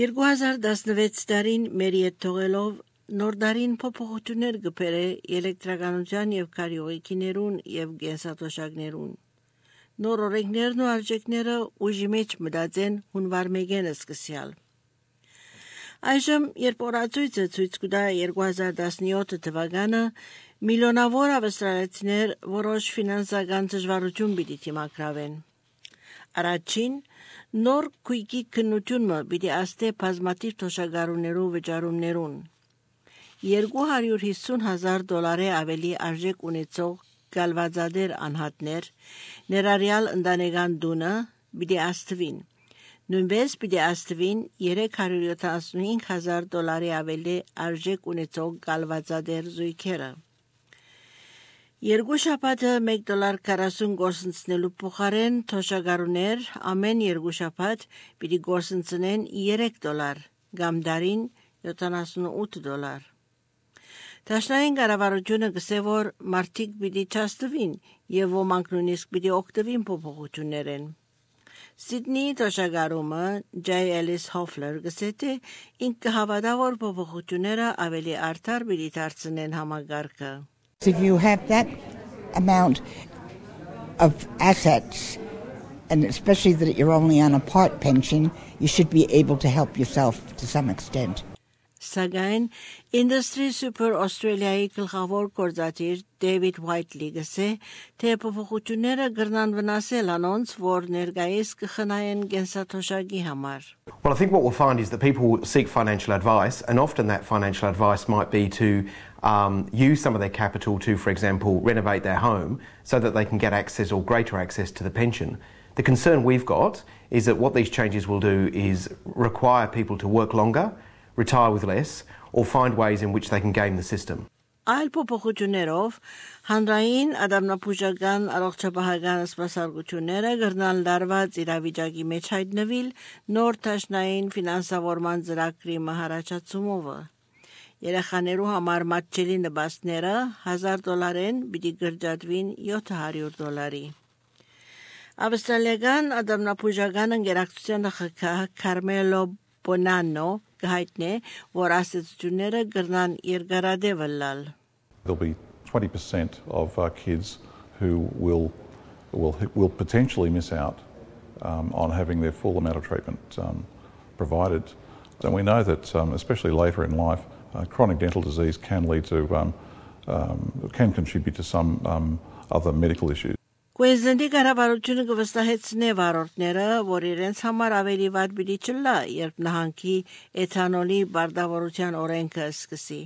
2016 տարին մեր հետ թողելով նոր դարին փոփոխություններ գբերե էլեկտրականության եւ քարյուղիքներուն եւ գենսաթոշակներուն։ Նոր օրենքներն ու արժեքները ուժի մեջ մտածեն հունվար 1-ին սկսյալ։ Այժմ, երբ օրացույցը ցույց կտա 2017 թվականը, միլիոնավոր ավստրալիացիներ որոշ ֆինանսական դժվարություն պիտի դիմակրավեն։ Առաջին, նոր քույկի քննությունը պիտի աստե բազմաթիվ թոշակառուներու վճարումներուն։ $250,000 ավելի արժեք ունեցող գալվածադեր անհատներ, ներառյալ ընտանեկան տունը, պիտի աստվին։ Նույնպես պիտի աստվին $375,000 ավելի արժեք ունեցող գալվածադեր զույգերը։ Երկու շաբաթը $1.40 գործընծնելու փոխարեն թոշակառուներ ամեն երկու շաբաթ պիտի գործընծնեն $3 կամ դարին $78։ Դաշնային կառավարությունը գսե որ մարդիկ պիտի չաստվին եւ ոմանք նույնիսկ պիտի օգտվին փոփոխություններեն։ Սիդնի թոշակառումը J. Ellis Hoffler գսե թե ինքը հավատա որ փոփոխությունները ավելի արդար պիտի դարձնեն համագարկը։ If you have that amount of assets, and especially that you're only on a part pension, you should be able to help yourself to some extent. Սակայն Industry Super Australia-ի գլխավոր գործադիր David Whiteley գսե թե փոփոխությունները կրնան վնասել անոնց, որ ներկայիս կխնայեն գենսաթոշակի համար։ Well, I think what we'll find is that people seek financial advice, and often that financial advice might be to use some of their capital to, for example, renovate their home so that they can get access or greater access to the pension. The concern we've got is that what these changes will do is require people to work longer, retire with less, or find ways in which they can game the system. Այլ փոփոխություններով հանրային ադամնապուժական առողջապահական սպասարկությունները կրնան լարված իրավիճակի մեջ հայտնվել նոր դաշնային ֆինանսավորման ծրագրի մահարաճացումով։ Երեխաներու համար մատչելի նպաստները $1,000-ին պիտի կրճատվին $700։ Ավստրալիական ադամնապուժական ընկերակցության նախագահ Carmelo Bonanno գահիտնե որ ասացությունները կրնան երկարադեպ լալ։ There'll be 20% of kids who will potentially miss out on having their full amount of treatment provided. And we know that, especially later in life, chronic dental disease can lead to can contribute to some other medical issues. Queensland-ի կառավարությունը կվստահեցնե վարորդները, որ իրենց համար ավելի վատ պիտի չլա, երբ նահանգի էթանոլի բարտավորության օրենքը սկսի։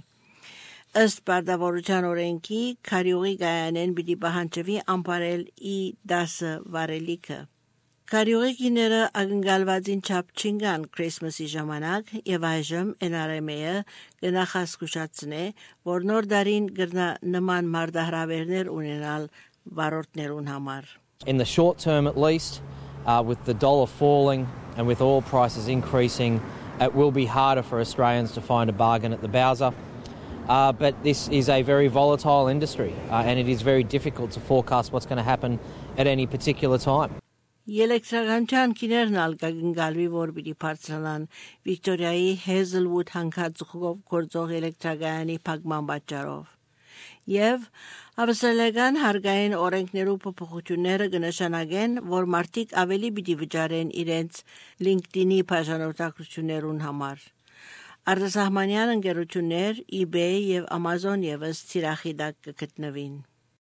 Ըստ բարտավորության օրենքի, քարյուղի գայանեն պիտի պահանջվի ամբարել E10 վարելիքը։ Քարյուղիները ակնկալվածին չափ չինգան Քրիսմասի ժամանակ եւ այժմ NRMA-ը կնախազգուշացնե, որ նոր դարին կրնա նման մարտահրավերներ ունենալ վարորդներուն համար։ In the short term at least, with the dollar falling and with oil prices increasing, it will be harder for Australians to find a bargain at the Bowser. But this is a very volatile industry and it is very difficult to forecast what's going to happen at any particular time. Էլեկտրականության քիներն ալկագնգալվի որ պիտի բարձրանան Վիկտորիայի Hazelwood հանքածուխով գործող էլեկտրակայանի փակման պատճառով։ Եվ ավստրալիական հարկային օրենքներու փոփոխությունները կնշանակեն, որ մարդիկ ավելի պիտի վճարեն իրենց LinkedIn-ի բաժանորդակցություններուն համար։ Արտասահմանյան ընկերություններ eBay եւ Amazon եւս ծիրախի տակ կգտնվին։